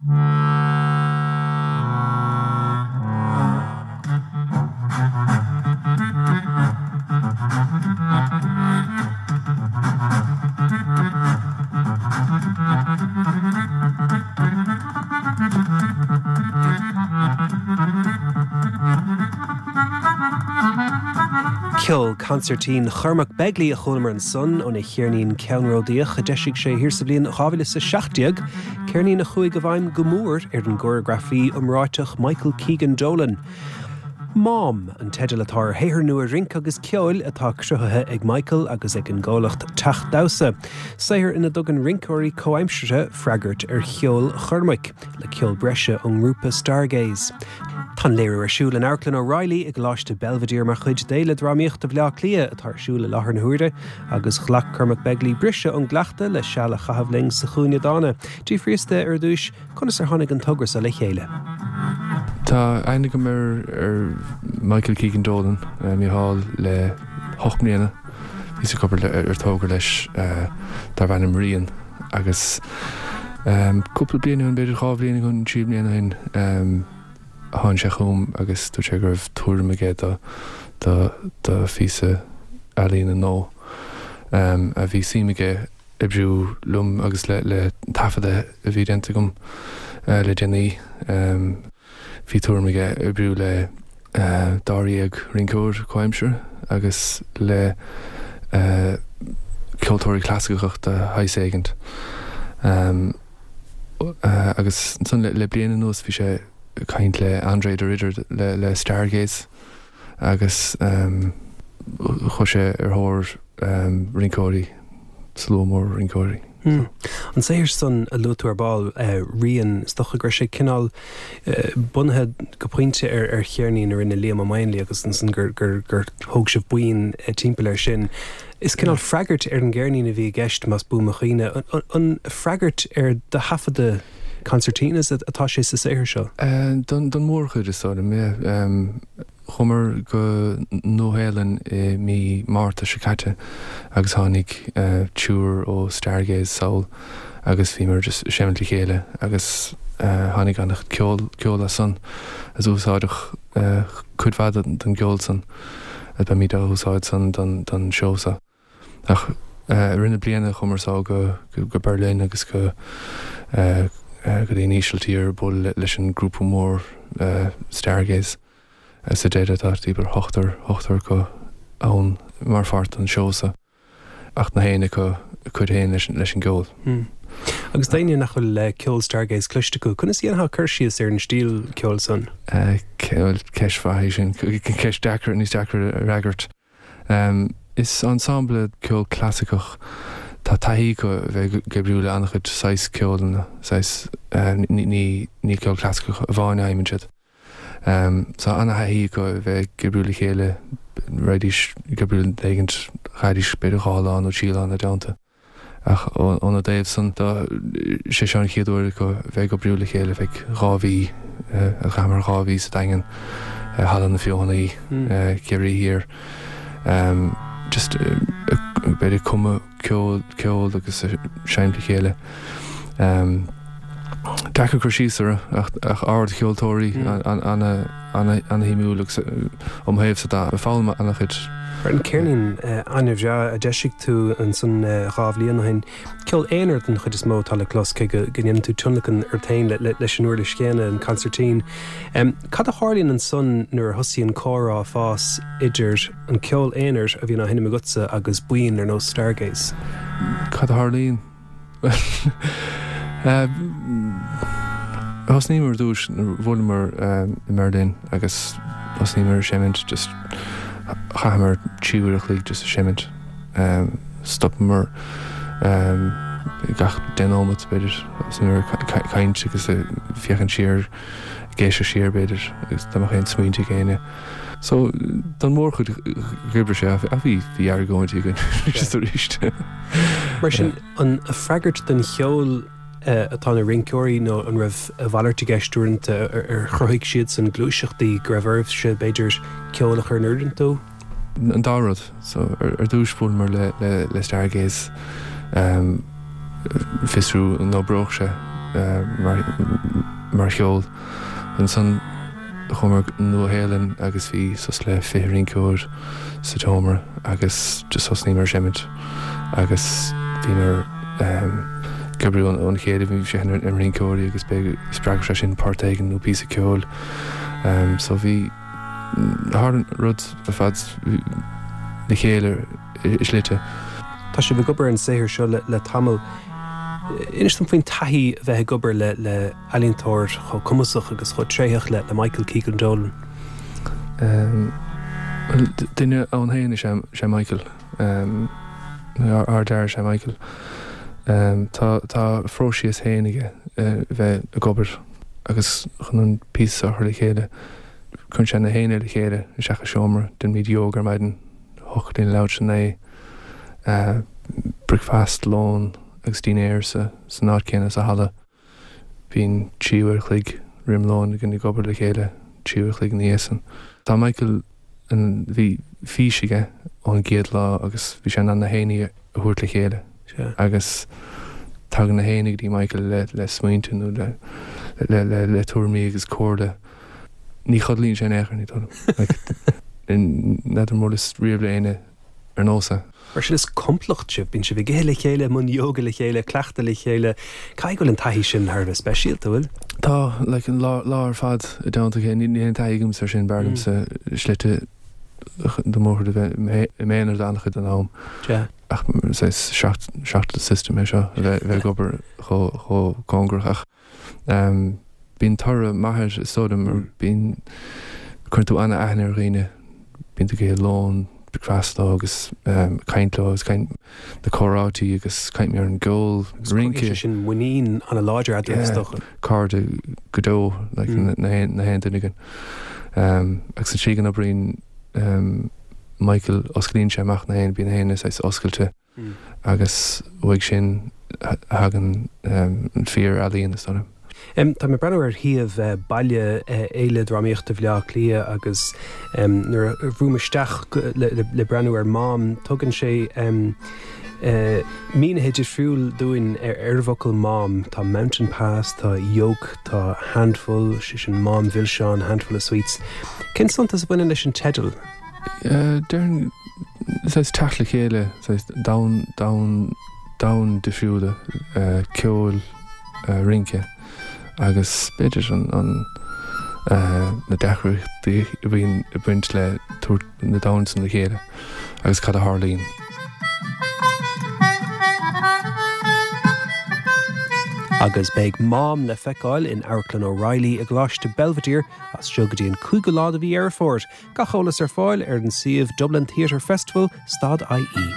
Ceol consairtín Chormac Begley a chualamar ansan óna cheirnín ceannródaíoch a d'eisigh sé thiar sa bhliain 2017, ceirnín a chuaigh i bhfeidhm go mór ar an gcóireagrafaí iomráiteach Michael Keegan Dolan. Mám an teideal atá ar shaothar nua rince agus ceoil atá cruthaithe ag Michael agus ag an gcomhlacht Teach Damhsa, saothar ina dtugann rinceoirí comhaimseartha freagairt ar cheol Chormaic, le ceol breise ón ngrúpa Stargaze. Tá an léiriú ar siúl in Amharclann O'Reilly i gColáiste Belvedere mar chuid d'Fhéile Drámaíochta Bhaile Átha Cliath atá ar siúl i láthair na huaire, agus ghlac Cormac Begley briseadh ón gcleachtadh le seal a chaitheamh linn sa Chúinne Dána. D'fhiafraíos de ar dtúis Conas ar tháinig an togra seo le chéile? Tá aithne agam ar Michael Keegan Dolan, Mícheál, le hocht mbliana. Bhíos ag obair ar togra leis darb ainm Rian agus cúpla bliain ó shin, b'fhéidir 2 bhliain ó shin, 3 bliana ó shin, tháinig sé chugam agus dúirt sé go raibh tuairim aige do do phíosa ealaíne nua a bhí suim aige oibriú liom agus le taifeadadh a bhí déanta agam le déanaí. Bhí tuairim aige oibriú le dáréag rinceoir comhaimseartha agus le ceoltóirí clasaiceacha de shaghas éigint. Agus ansan le bliain anuas bhí sé ag caint le André de Ridder le Stargaze agus chuaigh sé ar thóir rinceoirí, slua mór rinceoirí. An saothar san a luaigh tú ar ball, Rian, is dócha go raibh sé cineál bunaithe go pointe ar cheirnín a rinne Liam Ó Maonlaí agus ansan gur thóg sibh buíon timpeall air sin. Is cineál freagairt ar an gceirnín a bhí i gceist, más buan mo chuimhne. An freagairt ar do thaifeadadh concertinas atá sé sa saothar seo? Don mhórchuid, is dóigh liom, yeah. Chuamar go Nua-Shéalainn i mí Márta seo caite agus tháinig triúr ó Stargaze sall agus bhíomar just ag seimint le chéile agus tháinig an-chuid ceol ceol as san agus úsáideadh cuid mhaith den gceol san agus beimid á úsáid san don don seó seo. Ach i rith na bliana chuamar sall go go Berlin agus go go dtí an Ísiltír bualadh leis an grúpa mór Stargaze. Sa deireadh tá timpeall ochtar, ochtar acu ann mar pháirt den seó seo ach gach éinne acu a cuid féin leis an gceol. Agus d'éinne nach bhfuil ceol Stargaze cloiste acu, conas a dhéanfá cur síos ar an stíl ceoil san? Bhuel, ceist mhaith í sin. Ceist deacair, níos deacra a fhreagairt. Is ensemble ceol clasaiceach. Tá taithí acu a bheith ag oibriú le an-chuid saghas ceolanna, saghas, ní ceol clasaiceach amháin a sheinneann siad. Tá an-thaithí acu a bheith ag oibriú le chéile, raghaidís ag oibriú le duine éigint, chaithfidís b'fhéidir 2 lá nó 3 lá ina dteannta. Ach óna dtaobh san de, sé seo an chéad uair acu a bheith ag oibriú le chéile feadh 2 mhí, chaitheamar 2 mhí sa Daingean, i Halla na Feothanaí, Ciarraí Thiar. Just b'fhéidir ag cumadh ceol, ceol agus ag seinnt le chéile. Deacair cur síos orthu ach ardcheoltóirí, ana-shuimiúil agus ó mo thaobhsa de, foghlaim ana-chuid. Ar an cheirnín an-bhreá a d'eisigh tú ansan 2 bhliain ó shin, ceol aonair den chuid is mó atá le clos, cé go ndéanann tú tionlacan ort féin leis an uirlis chéanna, an consairtín. Cad a tharlaíonn ansan nuair a thosaíonn comhrá ag fás idir an ceol aonair a bhíonn á sheinm agatsa agus buíon ar nós Stargaze? Cad a tharlaíonn? Thosnaíomar ar dtús, bhuaileamar i mBerlin agus thosnaíomar ag seimint, just chaitheamar 3 uair a chloig just ag seimint. Stopamar gach 10 nóimeat b'fhéidir, thosnaíomar ag caint agus ag féachaint siar, ag éisteacht siar b'fhéidir agus dá mbeadh aon smaointe ag éinne. So, don mhórchuid dh'oibrigh sé ach bhí, bhí argóintí againn arís arís. Mar sin, an freagairt don cheol atá na rinceoirí nó an raibh a mhalairt i gceist uaireanta, ar chruthaigh siadsan gluaiseachtaí go raibh oraibhse, b'fhéidir, ceol a chur in oiriúint dó? An dá rud. So, ar dtús bhuaileamar le, le, le Stargaze, fiosrú an oibreodh sé. mar cheol. Ansan chuamar go Nua Shéalainn agus bhí suas le 20 rinceoir sa tseomra agus just thosnaíomar ag seimint agus bhíomar ag oibriú óna chéile, bhí sé ar na rinceoirí agus b'fhéidir spreagfadh sé sin port éigin nó píosa ceoil. So bhí, tharla an rud ar fad le chéile i slite. Tá sibh ag obair ar an saothar seo le tamall. Inis dom faoin taithí a bheith ag obair le le ealaíontóir chomh cumasach agus chomh tréitheach le Michael Keegan Dolan. Bhuel, duine ann féin is ea Michael. Ardfhear is ea Michael. Tá tá a phróiseas féin aige bheith ag obair agus chun an píosa a chur le chéile. Cuireann sé na héinne le chéile isteach i seomra, déanaimid yoga ar maidin, thiocfadh linn labhairt 9, bricfeasta, lón agus dinnéar san áit céanna sa halla. Bíonn 3 uair a chloig roim lón againn ag obair le chéile, 3 uair a chloig ina dhiaidh san. Tá Michael, bhí fís aige ón gcéad lá agus bhí sé in ann na héinne a thabhairt le chéile agus tagann na héinne go dtí Michael le smaointe nó le tuairimí agus comhairle. Ní chodlaíonn sé in aon chor, ní dóigh liom. N'fheadar an mbuaileas riamh le éinne ar nós é. Mar sin is complacht sibh, bíonn sibh ag ithe le chéile, i mbun yoga le chéile, cleachtadh le chéile. Caithfidh go bhfuil an taithí sin thar a bheith speisialta, bhfuil? Tá, like, an lá, lá ar fad i dteannta a chéile. Níl aon taithí agamsa ar sin, b'fhearr liomsa slite do mhórchuid a bheith i m'aonar an-chuid den am. Sea. Ach saghas shock, shock to the system é seo, a bheith, a bheith ag obair chomh, chomh cóngarach ach. Bíonn toradh maith air is dóigh liom mar bíonn, cuireann tú an-aithne ar dhaoine, bíonn tú ag ithe lón, bricfeasta leo agus caint leo agus caint, na comhráití agus caint ar an gceol, rince. Cruthaíonn sé sin muinín an-láidir eadraibh is dócha. Cairde go deo like na haon duine againn. Agus an tslí go n-oibríonn Michael, osclaíonn sé amach na haon, bíonn na haon saghas oscailte. agus uaidh sin a thagann an fíor-ealaíon, is dóigh liom. Tá mé ag breathnú ar shuíomh baile Fhéile Drámaíochta Bhaile Átha Cliath agus nuair a bhrúim isteach le breathnú ar Mám, tugann sé mínithe difriúil dúinn ar an bhfocal Mám. Tá mountain pass, tá yoke, tá handful, sé sin mám mhilseáin, handful of sweets. Cén suntas a bhaineann leis an teideal? Déarfainn, saghas teacht le chéile, saghas domhan, domhan, domhain difriúla, ceoil, rince agus b'fhéidir an, an, na deacrachtaí a bhíonn ag baint le tabhairt na domhain san le chéile agus cad a tharlaíonn. Agus beidh Mám le feiceáil in Amharclann O'Reilly i gColáiste Belvedere as seo go dtí an 5ú lá de mhí Dheireadh Fómhair. Gach eolas ar fáil ar an suíomh Dublin Theatre Festival stad IE.